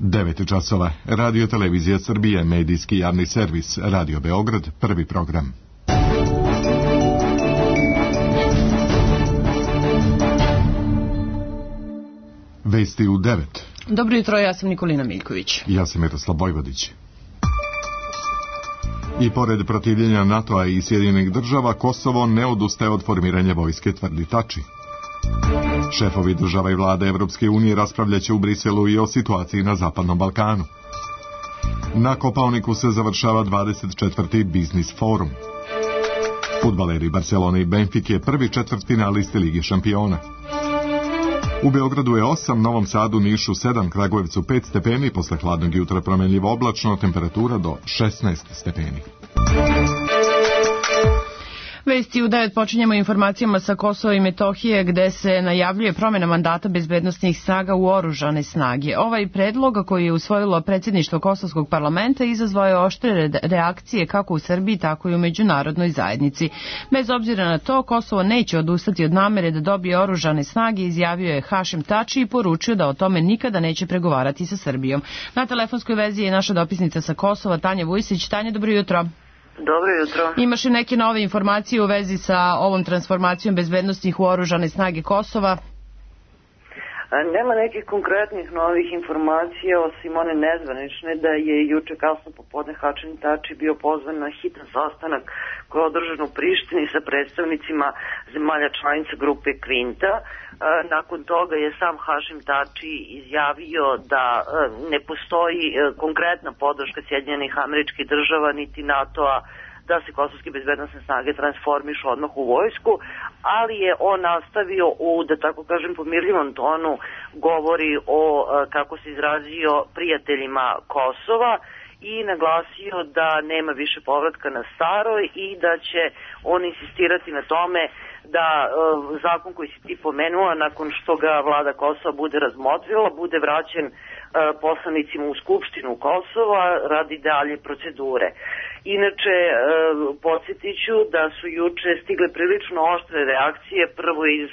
9 časova. Radio Televizija Srbije, medijski javni servis, Radio Beograd, prvi program. Vesti u 9. Dobro jutro, ja sam Nikolina Miljković. Ja sam Miroslav Vojvodić. I pored protivljenja NATO-a i Sjedinjenih država, Kosovo ne odustaje od formiranja vojske, tvrdi Tači. Šefovi država i vlade Evropske unije raspravljaće u Briselu i o situaciji na Zapadnom Balkanu. Na Kopaoniku se završava 24. biznis forum. Fudbaleri Barcelone i Benfike prvi četvrtfinalisti Lige šampiona. U Beogradu je 8, Novom Sadu, Nišu 7, Kragujevcu 5 stepeni, posle hladnog jutra promenljivo oblačno, temperatura do 16 stepeni. Vesti u 9 počinjemo informacijama sa Kosova i Metohije, gde se najavljuje promjena mandata bezbednosnih snaga u oružane snage. Ovaj predlog, koji je usvojilo predsjedništvo Kosovskog parlamenta, izazvao je oštre reakcije kako u Srbiji, tako i u međunarodnoj zajednici. Bez obzira na to, Kosovo neće odustati od namere da dobije oružane snage, izjavio je Hašim Tači i poručio da o tome nikada neće pregovarati sa Srbijom. Na telefonskoj vezi je naša dopisnica sa Kosova, Tanja Vujsić. Tanja, dobro jutro. Dobro jutro. Imaš li neke nove informacije u vezi sa ovom transformacijom bezbednostnih u oružane snage Kosova? Nema nekih konkretnih novih informacija, osim one nezvanične da je juče kasno popodne Hašim Tači bio pozvan na hitan sastanak koji je održan u Prištini sa predstavnicima zemalja članica grupe Kvinta. Nakon toga je sam Hašim Tači izjavio da ne postoji konkretna podrška Sjedinjenih Američkih Država niti NATO-a da se kosovske bezbednosne snage transformišu odmah u vojsku, ali je on nastavio u, da tako kažem, pomirljivom tonu govori o, kako se izrazio, prijateljima Kosova i naglasio da nema više povratka na staro i da će on insistirati na tome da zakon koji si ti pomenula, nakon što ga vlada Kosova bude razmotrila, bude vraćen poslanicima u Skupštinu Kosova radi dalje procedure. Inače, podsjetit ću da su juče stigle prilično oštre reakcije, prvo iz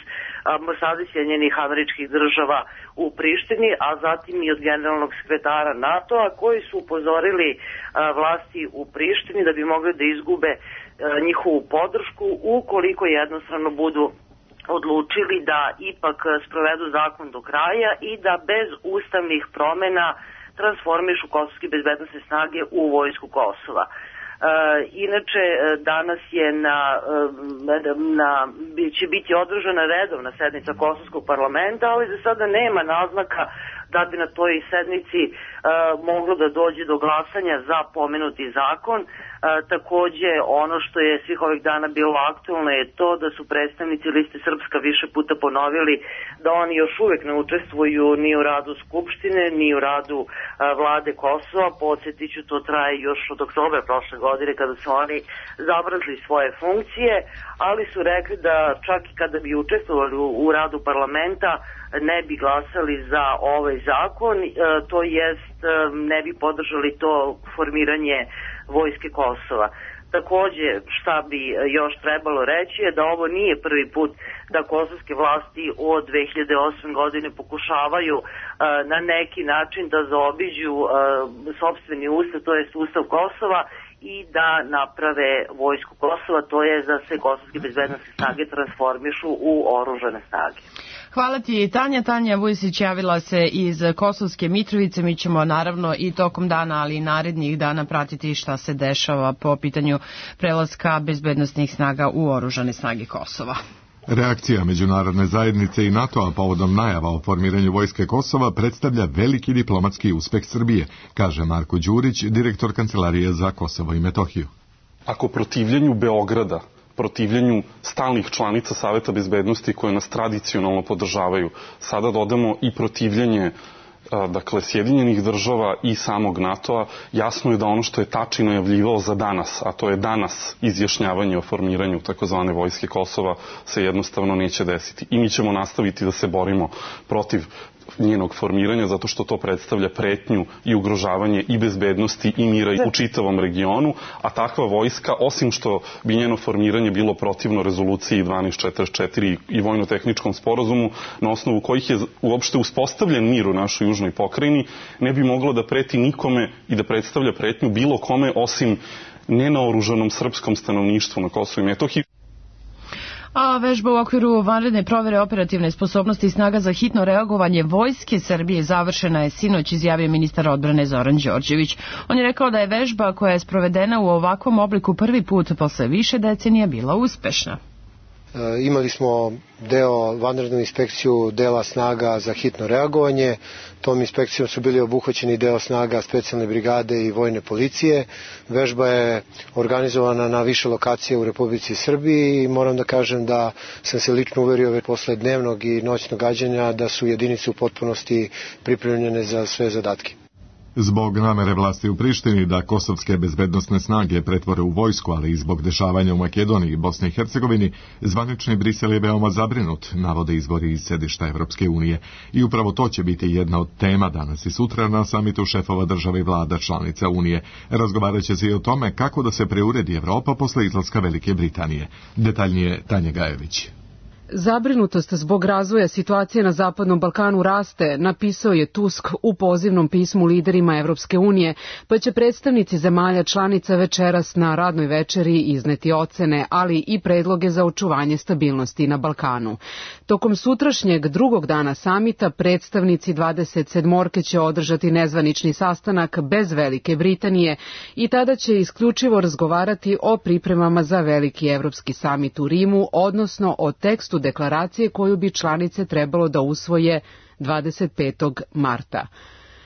ambasade Sjedinjenih Američkih Država u Prištini, a zatim i od generalnog sekretara NATO-a, koji su upozorili vlasti u Prištini da bi mogli da izgube njihovu podršku ukoliko jednostrano budu odlučili da ipak sprovedu zakon do kraja i da bez ustavnih promena transformišu kosovske bezbednosne snage u vojsku Kosova. Inače, danas je će biti održana redovna sednica Kosovskog parlamenta, ali za sada nema naznaka da bi na toj sednici moglo da dođe do glasanja za pomenuti zakon. Takođe, ono što je svih ovih dana bilo aktualno je to da su predstavnici Liste Srpska više puta ponovili da oni još uvek ne učestvuju ni u radu Skupštine, ni u radu vlade Kosova. Podsjetiću, to traje još od oktobra prošle godine kada su oni zabrazili svoje funkcije, ali su rekli da čak i kada bi učestvovali u radu parlamenta ne bi glasali za ovaj zakon, to jest ne bi podržali to formiranje vojske Kosova. Takođe, šta bi još trebalo reći je da ovo nije prvi put da kosovske vlasti od 2008. godine pokušavaju na neki način da zaobiđu sopstveni ustav, to jest ustav Kosova, i da naprave vojsku Kosova, to je da se kosovske bezbednosne snage transformišu u oružane snage. Hvala ti, Tanja. Tanja Vujsić javila se iz Kosovske Mitrovice. Mi ćemo naravno i tokom dana, ali i narednih dana pratiti šta se dešava po pitanju prelaska bezbednosnih snaga u oružane snage Kosova. Reakcija međunarodne zajednice i NATO-a povodom najava o formiranju vojske Kosova predstavlja veliki diplomatski uspeh Srbije, kaže Marko Đurić, direktor Kancelarije za Kosovo i Metohiju. Ako protivljenju Beograda, protivljenju stalnih članica Saveta bezbednosti koje nas tradicionalno podržavaju, sada dodamo i protivljenje Sjedinjenih država i samog NATO-a, jasno je da ono što je Tači najavljivao za danas, a to je danas izjašnjavanje o formiranju takozvane vojske Kosova, se jednostavno neće desiti. I mi ćemo nastaviti da se borimo protiv njenog formiranja, zato što to predstavlja pretnju i ugrožavanje i bezbednosti i mira u čitavom regionu, a takva vojska, osim što bi njeno formiranje bilo protivno rezoluciji 1244 i vojno-tehničkom sporazumu, na osnovu kojih je uopšte uspostavljen mir u našoj južnoj pokrajini, ne bi moglo da preti nikome i da predstavlja pretnju bilo kome osim nenaoružanom srpskom stanovništvu na Kosovu i Metohiji. A vežba u okviru vanredne provere operativne sposobnosti snaga za hitno reagovanje Vojske Srbije završena je sinoć, izjavio ministar odbrane Zoran Đorđević. On je rekao da je vežba koja je sprovedena u ovakvom obliku prvi put posle više decenija bila uspešna. Imali smo vanrednu inspekciju dela snaga za hitno reagovanje. Tom inspekcijom su bili obuhvaćeni deo snaga specijalne brigade i vojne policije. Vežba je organizovana na više lokacije u Republici Srbiji i moram da kažem da sam se lično uverio posle dnevnog i noćnog gađanja da su jedinice u potpunosti pripremljene za sve zadatke. Zbog namere vlasti u Prištini da kosovske bezbednosne snage pretvore u vojsku, ali i zbog dešavanja u Makedoniji i Bosni i Hercegovini, zvanični Brisel je veoma zabrinut, navode izvori iz sedišta Evropske unije. I upravo to će biti jedna od tema danas i sutra na samitu šefova država i vlada članica Unije. Razgovarat će se i o tome kako da se preuredi Evropa posle izlaska Velike Britanije. Detaljnije Tanja Gajević. Zabrinutost zbog razvoja situacije na Zapadnom Balkanu raste, napisao je Tusk u pozivnom pismu liderima Evropske unije, pa će predstavnici zemalja članica večeras na radnoj večeri izneti ocene, ali i predloge za očuvanje stabilnosti na Balkanu. Tokom sutrašnjeg drugog dana samita predstavnici 27 će održati nezvanični sastanak bez Velike Britanije i tada će isključivo razgovarati o pripremama za veliki evropski samit u Rimu, odnosno o tekstu deklaracije koju bi članice trebalo da usvoje 25. marta.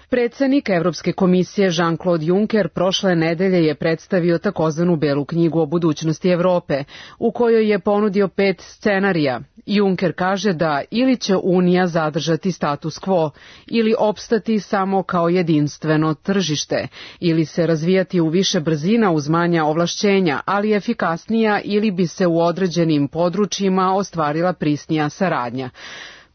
Predsednik Evropske komisije Jean-Claude Juncker prošle nedelje je predstavio takozvanu Belu knjigu o budućnosti Evrope, u kojoj je ponudio 5 scenarija. Juncker kaže da ili će Unija zadržati status quo, ili opstati samo kao jedinstveno tržište, ili se razvijati u više brzina uz manja ovlašćenja, ali efikasnija, ili bi se u određenim područjima ostvarila prisnija saradnja.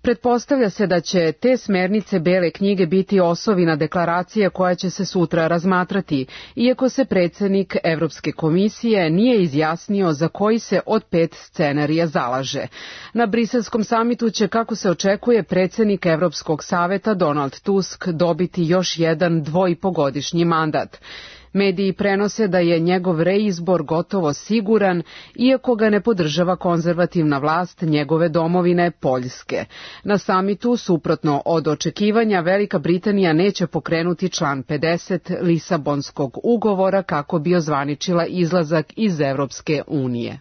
Pretpostavlja se da će te smernice Bele knjige biti osovina deklaracije koja će se sutra razmatrati, iako se predsednik Evropske komisije nije izjasnio za koji se od 5 scenarija zalaže. Na briselskom samitu će, kako se očekuje, predsednik Evropskog saveta Donald Tusk dobiti još jedan 2,5-godišnji mandat. Mediji prenose da je njegov reizbor gotovo siguran, iako ga ne podržava konzervativna vlast njegove domovine Poljske. Na samitu, suprotno od očekivanja, Velika Britanija neće pokrenuti član 50 Lisabonskog ugovora kako bi ozvaničila izlazak iz Evropske unije.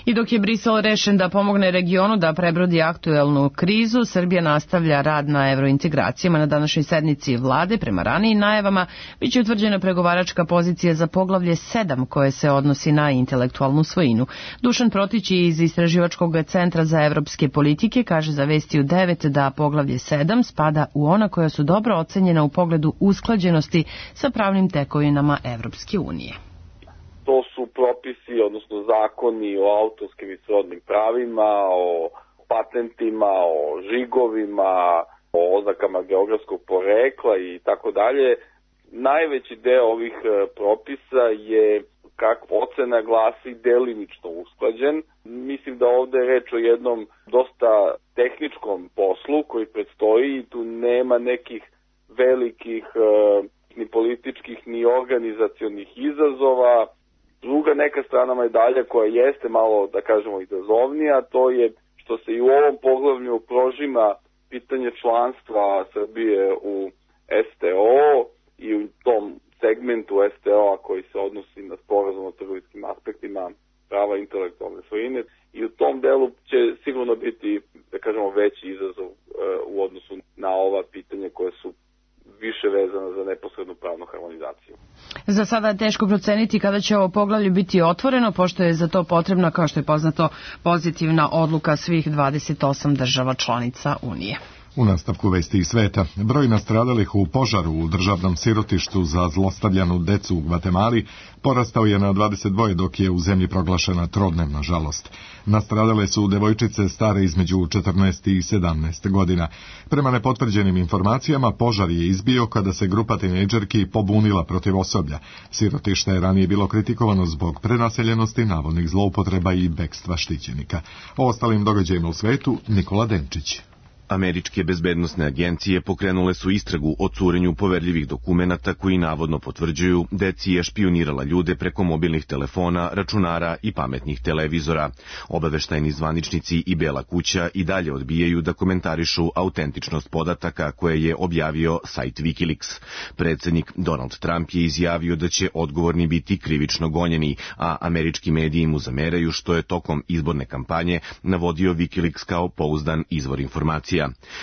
I dok je Brisel rešen da pomogne regionu da prebrodi aktuelnu krizu, Srbija nastavlja rad na evrointegracijama. Na današnjoj sednici vlade, prema ranijim najavama, biće utvrđena pregovaračka pozicija za poglavlje 7 koje se odnosi na intelektualnu svojinu. Dušan Protić iz Istraživačkog centra za evropske politike kaže za Vesti u 9 da poglavlje 7 spada u ona koja su dobro ocenjena u pogledu usklađenosti sa pravnim tekovinama Evropske unije. To su propisi, odnosno zakoni o autorskim i srodnim pravima, o patentima, o žigovima, o oznakama geografskog porekla i tako dalje. Najveći deo ovih propisa je, kako ocena glasi, delimično usklađen. Mislim da ovde je reč o jednom dosta tehničkom poslu koji predstoji i tu nema nekih velikih ni političkih ni organizacionih izazova. Druga neka strana medalja koja jeste malo, da kažemo, izazovnija, to je što se i u ovom poglavlju prožima pitanje članstva Srbije u STO i u tom segmentu STO-a koji se odnosi na sporazum o trgovinskim aspektima prava intelektualne svojine i u tom delu će sigurno biti, da kažemo, veći izazov u odnosu na ova pitanja koje su više vezana za neposrednu pravnu harmonizaciju. Za sada je teško proceniti kada će ovo poglavlje biti otvoreno, pošto je za to potrebna, kao što je poznato, pozitivna odluka svih 28 država članica Unije. U nastavku vesti iz sveta, broj nastradalih u požaru u državnom sirotištu za zlostavljanu decu u Gvatemali porastao je na 22, dok je u zemlji proglašena trodnevna žalost. Nastradale su devojčice stare između 14 i 17 godina. Prema nepotvrđenim informacijama, požar je izbio kada se grupa tinejdžerki pobunila protiv osoblja. Sirotište je ranije bilo kritikovano zbog prenaseljenosti, navodnih zloupotreba i bekstva štićenika. O ostalim događajima u svetu, Nikola Denčić. Američke bezbednosne agencije pokrenule su istragu o curenju poverljivih dokumenata koji navodno potvrđuju da je CIA špijunirala ljude preko mobilnih telefona, računara i pametnih televizora. Obaveštajni zvaničnici i Bela kuća i dalje odbijaju da komentarišu autentičnost podataka koje je objavio sajt Wikileaks. Predsjednik Donald Trump je izjavio da će odgovorni biti krivično gonjeni, a američki mediji mu zameraju što je tokom izborne kampanje navodio Wikileaks kao pouzdan izvor informacija.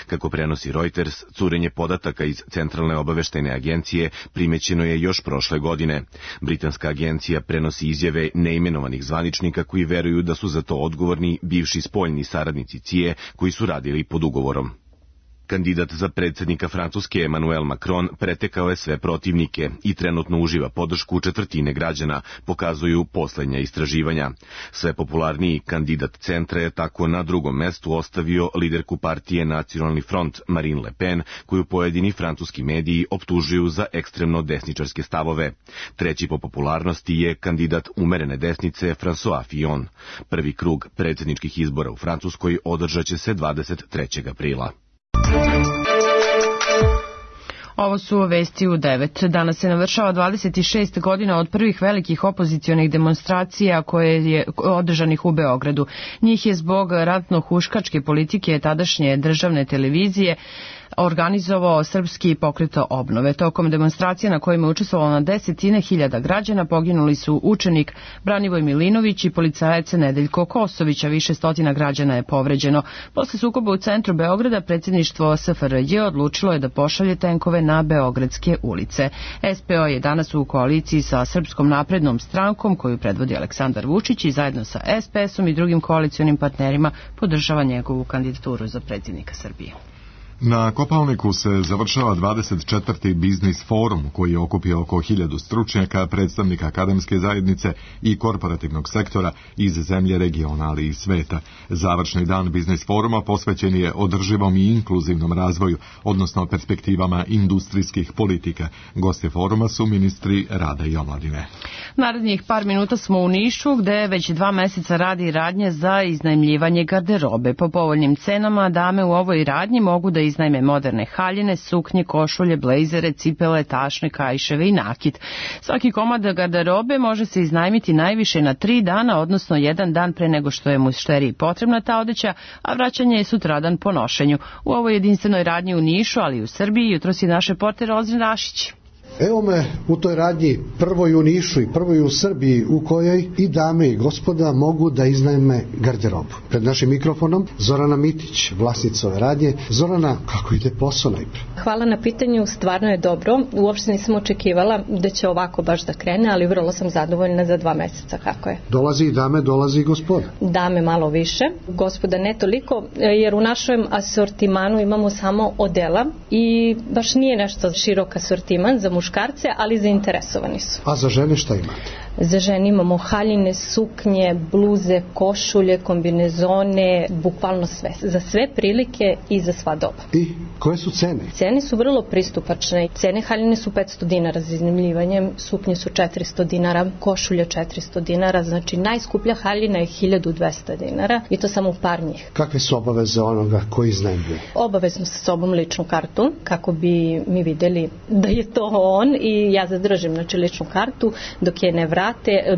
Kako prenosi Reuters, curenje podataka iz Centralne obaveštajne agencije primećeno je još prošle godine. Britanska agencija prenosi izjave neimenovanih zvaničnika koji veruju da su za to odgovorni bivši spoljni saradnici CIA koji su radili pod ugovorom. Kandidat za predsjednika Francuske Emmanuel Macron pretekao je sve protivnike i trenutno uživa podršku četvrtine građana, pokazuju posljednja istraživanja. Sve popularniji kandidat centra je tako na drugom mestu ostavio liderku partije Nacionalni front Marine Le Pen, koju pojedini francuski mediji optužuju za ekstremno desničarske stavove. Treći po popularnosti je kandidat umerene desnice François Fillon. Prvi krug predsjedničkih izbora u Francuskoj održat će se 23. aprila. Ovo su vesti u 9. Danas se navršava 26 godina od prvih velikih opozicionih demonstracija koje je održanih u Beogradu. Njih je zbog ratno-huškačke politike tadašnje državne televizije organizovao Srpski pokret obnove. Tokom demonstracije na kojima je učestvovalo na 10.000 građana poginuli su učenik Branivoj Milinović i policajac Nedeljko Kosović, a više stotina građana je povređeno. Posle sukoba u centru Beograda predsjedništvo SFRJ odlučilo je da pošalje tenkove na beogradske ulice. SPO je danas u koaliciji sa Srpskom naprednom strankom koju predvodi Aleksandar Vučić i zajedno sa SPS-om i drugim koalicionim partnerima podržava njegovu kandidaturu za predsjednika Srbije. Na Kopaoniku se završava 24. biznis forum koji je okupio oko 1000 stručnjaka, predstavnika akademske zajednice i korporativnog sektora iz zemlje, regiona, ali i sveta. Završni dan biznis foruma posvećen je održivom i inkluzivnom razvoju, odnosno perspektivama industrijskih politika. Gosti foruma su ministri rada i omladine. Narednih par minuta smo u Nišu, gde već 2 meseca radi radnje za iznajmljivanje garderobe. Po povoljnim cenama dame u ovoj radnji mogu da iznajme moderne haljine, suknje, košulje, blejzere, cipele, tašne, kaiševe i nakit. Svaki komad garderobe može se iznajmiti najviše na 3 dana, odnosno 1 dan pre nego što je mušteriji potrebna ta odeća, a vraćanje je sutradan po nošenju. U ovoj jedinstvenoj radnji u Nišu, ali i u Srbiji, jutros je naš reporter Ozren Rašić. Evo me u toj radnji, prvoj u Nišu i prvoj u Srbiji, u kojoj i dame i gospoda mogu da iznajme garderobu. Pred našim mikrofonom Zorana Mitić, vlasnica ove radnje. Zorana, kako ide posao najpre? Hvala na pitanju, stvarno je dobro. Uopšte nisam očekivala da će ovako baš da krene, ali vrlo sam zadovoljna za 2 meseca kako je. Dolazi i dame, dolazi i gospoda. Dame malo više, gospoda ne toliko, jer u našem asortimanu imamo samo odela i baš nije nešto širok asortiman za muškarce, ali zainteresovani su. A za žene šta imate? Za žene imamo haljine, suknje, bluze, košulje, kombinezone, bukvalno sve. Za sve prilike i za sva doba. I koje su cene? Cene su vrlo pristupačne. Cene haljine su 500 dinara za iznajmljivanje, suknje su 400 dinara, košulje 400 dinara, znači najskuplja haljina je 1200 dinara i to samo par njih. Kakve su obaveze onoga koji iznajmljuje? Obavezno sa sobom ličnu kartu, kako bi mi videli da je to on i ja zadržim znači ličnu kartu dok je ne vrate.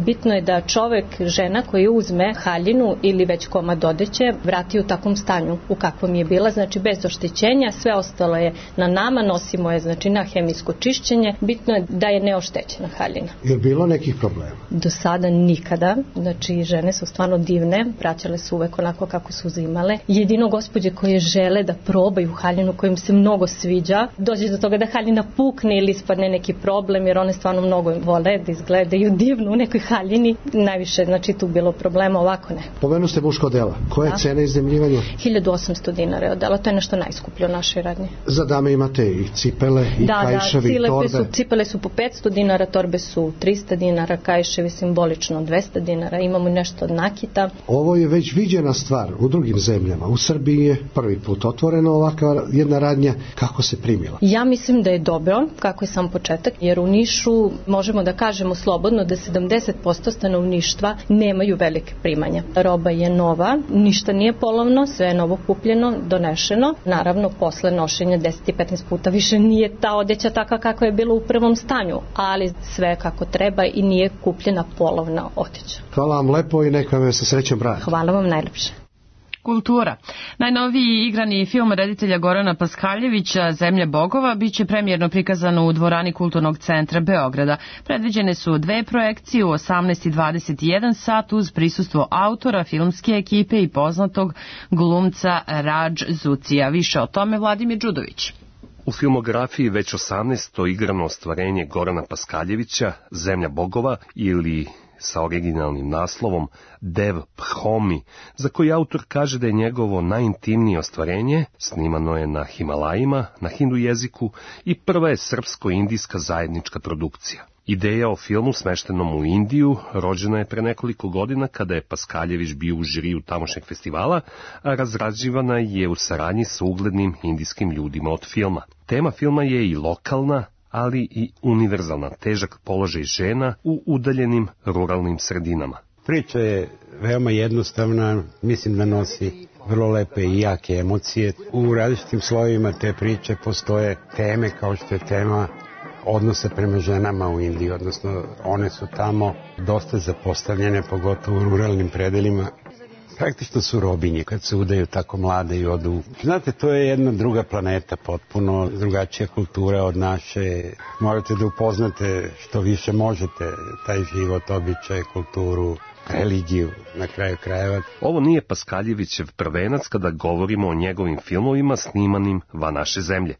Bitno je da čovek, žena koji uzme haljinu ili već komad odeće vrati u takvom stanju u kakvom je bila, znači bez oštećenja, sve ostalo je na nama, nosimo je znači na hemijsko čišćenje, bitno je da je neoštećena haljina. Je bilo nekih problema? Do sada nikada, znači žene su stvarno divne, vraćale su uvek onako kako su uzimale. Jedino gospođe koje žele da probaju haljinu kojim se mnogo sviđa, dođe do toga da haljina pukne ili ispadne neki problem, jer one stvarno mnogo vole da izgledaju divno naivno u nekoj haljini, najviše, znači tu bilo problema, ovako ne. Pomenu ste muško dela. Koja je cena iznajmljivanja? 1800 dinara je odela, to je nešto najskuplje u našoj radnji. Za dame imate i cipele, i kajševi, i torbe? Cipele su po 500 dinara, torbe su 300 dinara, kajševi simbolično 200 dinara, imamo nešto od nakita. Ovo je već viđena stvar u drugim zemljama. U Srbiji je prvi put otvorena ovakva jedna radnja. Kako se primila? Ja mislim da je dobro, kako je sam početak, jer u Nišu možemo da kažemo slobodno da 70% stanovništva nemaju velike primanja. Roba je nova, ništa nije polovno, sve je novo kupljeno, donešeno. Naravno, posle nošenja 10 i 15 puta više nije ta odeća taka kako je bilo u prvom stanju, ali sve kako treba i nije kupljena polovna odeća. Hvala vam lepo i neka me sa srećom brani. Hvala vam najlepše. Kultura. Najnoviji igrani film reditelja Gorana Paskaljevića Zemlja bogova biće premijerno prikazano u dvorani Kulturnog centra Beograda. Predviđene su dve projekcije u 18 i 21 sat uz prisustvo autora, filmske ekipe i poznatog glumca Radž Zucija. Više o tome Vladimir Đudović. U filmografiji već 18. igrano ostvarenje Gorana Paskaljevića Zemlja bogova ili sa originalnim naslovom Dev Phomi, za koji autor kaže da je njegovo najintimnije ostvarenje, snimano je na Himalajima, na hindu jeziku i prva je srpsko-indijska zajednička produkcija. Ideja o filmu smeštenom u Indiju rođena je pre nekoliko godina kada je Paskaljević bio u žiriju tamošnjeg festivala, a razrađivana je u saradnji sa uglednim indijskim ljudima od filma. Tema filma je i lokalna, ali i univerzalna, težak položaj žena u udaljenim ruralnim sredinama. Priča je veoma jednostavna, mislim da nosi vrlo lepe i jake emocije. U različitim slojevima te priče postoje teme kao što je tema odnosa prema ženama u Indiji, odnosno one su tamo dosta zapostavljene, pogotovo u ruralnim predelima. Praktično su robinje kad se udaju tako mlade i odu. Znate, to je jedna druga planeta, potpuno drugačija kultura od naše. Morate da upoznate što više možete taj život, običaj, kulturu, religiju, na kraju krajeva. Ovo nije Paskaljevićev prvenac kada govorimo o njegovim filmovima snimanim van naše zemlje.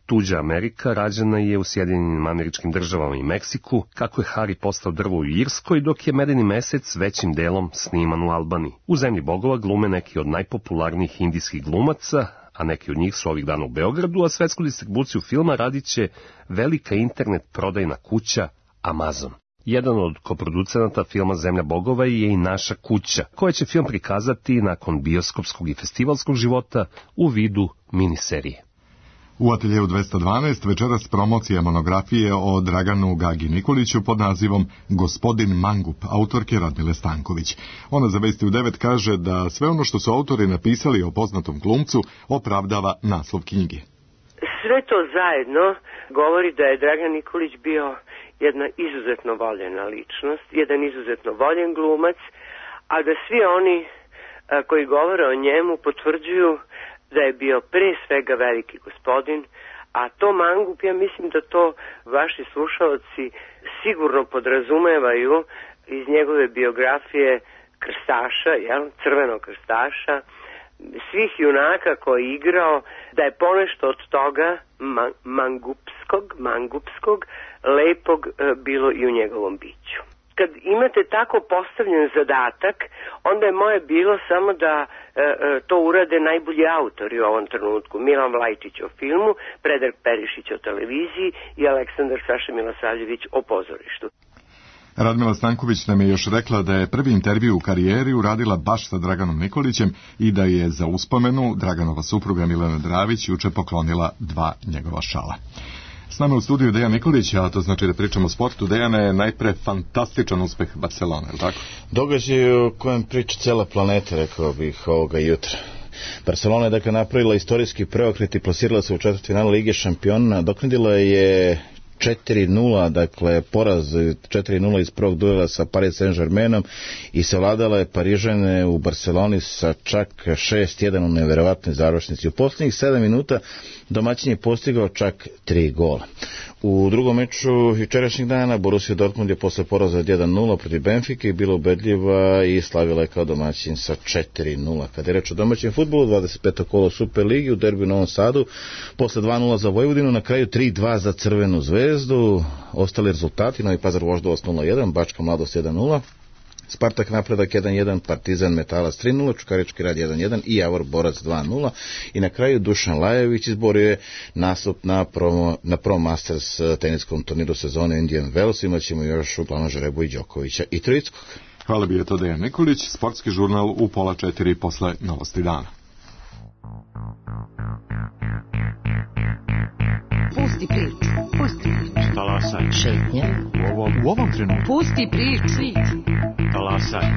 Tuđa Amerika rađena je u Sjedinjenim Američkim Državama i Meksiku, kako je Hari postao drvo u Irskoj, dok je Medeni mesec većim delom sniman u Albaniji. U Zemlji bogova glume neki od najpopularnijih indijskih glumaca, a neki od njih su ovih dana u Beogradu, a svetsku distribuciju filma radit će velika internet prodajna kuća Amazon. Jedan od koproducenata filma Zemlja bogova je i Naša kuća, koja će film prikazati nakon bioskopskog i festivalskog života u vidu miniserije. U ateljevu 212 večeras promocija monografije o Draganu Gagi Nikoliću pod nazivom Gospodin Mangup, autorke Radmile Stanković. Ona za Vesti u 9 kaže da sve ono što su autori napisali o poznatom glumcu opravdava naslov knjige. Sve to zajedno govori da je Dragan Nikolić bio jedna izuzetno voljena ličnost, jedan izuzetno voljen glumac, a da svi oni koji govore o njemu potvrđuju da je bio pre svega veliki gospodin, a to mangup, ja mislim da to vaši slušalci sigurno podrazumevaju iz njegove biografije krstaša, crvenog krstaša, svih junaka koji je igrao, da je ponešto od toga mangupskog, lepog bilo i u njegovom biću. Kad imate tako postavljen zadatak, onda je moje bilo samo da to urade najbolji autori u ovom trenutku. Milan Vlajčić o filmu, Predrag Perišić o televiziji i Aleksandar Saša Milosavljević o pozorištu. Radmila Stanković nam je još rekla da je prvi intervju u karijeri uradila baš sa Draganom Nikolićem i da je za uspomenu Draganova supruga Milena Dravić juče poklonila 2 njegova šala. S nama u studiju Dejan Nikolić, a to znači da pričamo o sportu. Dejane, je najpre fantastičan uspeh Barcelone, ili tako? Događaj o kojem priča cela planeta, rekao bih, ovoga jutra. Barcelona je dakle napravila istorijski preokret i plasirala se u četvrtfinalu Lige šampiona. Doknadila je 4-0, dakle poraz 4-0 iz prvog duela sa Paris Saint-Germainom i savladala je Parižane u Barceloni sa čak 6-1 u neverovatnoj završnici. U posljednjih 7 minuta domaćin je postigao čak 3 gola. U drugom meču jučerašnjeg dana Borussia Dortmund je posle poraza 1-0 protiv Benfike bila ubedljiva i slavila je kao domaćin sa 4-0. Kada je reč o domaćem fudbalu, 25. kolo Superligi u derbiju u Novom Sadu, posle 2-0 za Vojvodinu, na kraju 3-2 za Crvenu zvezdu. Ostali rezultati: Novi Pazar Voždovac 0-1, Bačka Mladost 1-0, Spartak Napredak 1-1, Partizan Metalac 3-0, Čukarički Rad 1-1 i Javor Borac 2-0. I na kraju Dušan Lajović izborio je nastup na Pro Masters teniskom turniru sezone Indian Wells. Imaćemo još uglavnom žrebu i Đokovića i Troickog. Hvala bi je to Dejan Nikolić. Sportski žurnal u 3:30 posle novosti dana. Pusti priču, pusti priču. Talasaj. Šetnje. U ovom trenutku. Pusti priču. Talasaj.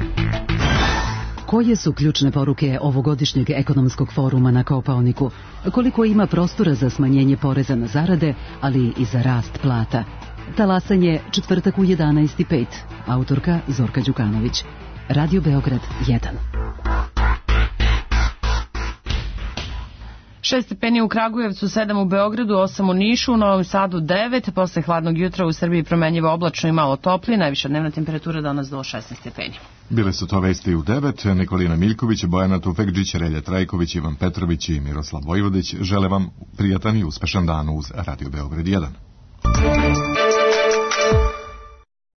Koje su ključne poruke ovogodišnjeg ekonomskog foruma na Kopaoniku? Koliko ima prostora za smanjenje poreza na zarade, ali i za rast plata? Talasanje, četvrtak u 11:05. Autorka Zorka Đukanović. Radio Beograd 1. 6 stepeni u Kragujevcu, 7 u Beogradu, 8 u Nišu, u Novom Sadu 9, posle hladnog jutra u Srbiji promenljivo oblačno i malo toplije, najviša dnevna temperatura danas do 16 stepeni. Bile su to vesti u 9, Nikolina Miljković, Bojana Tufekđić, Relja Trajković, Ivan Petrović i Miroslav Vojvodić žele vam prijatan i uspešan dan uz Radio Beograd 1.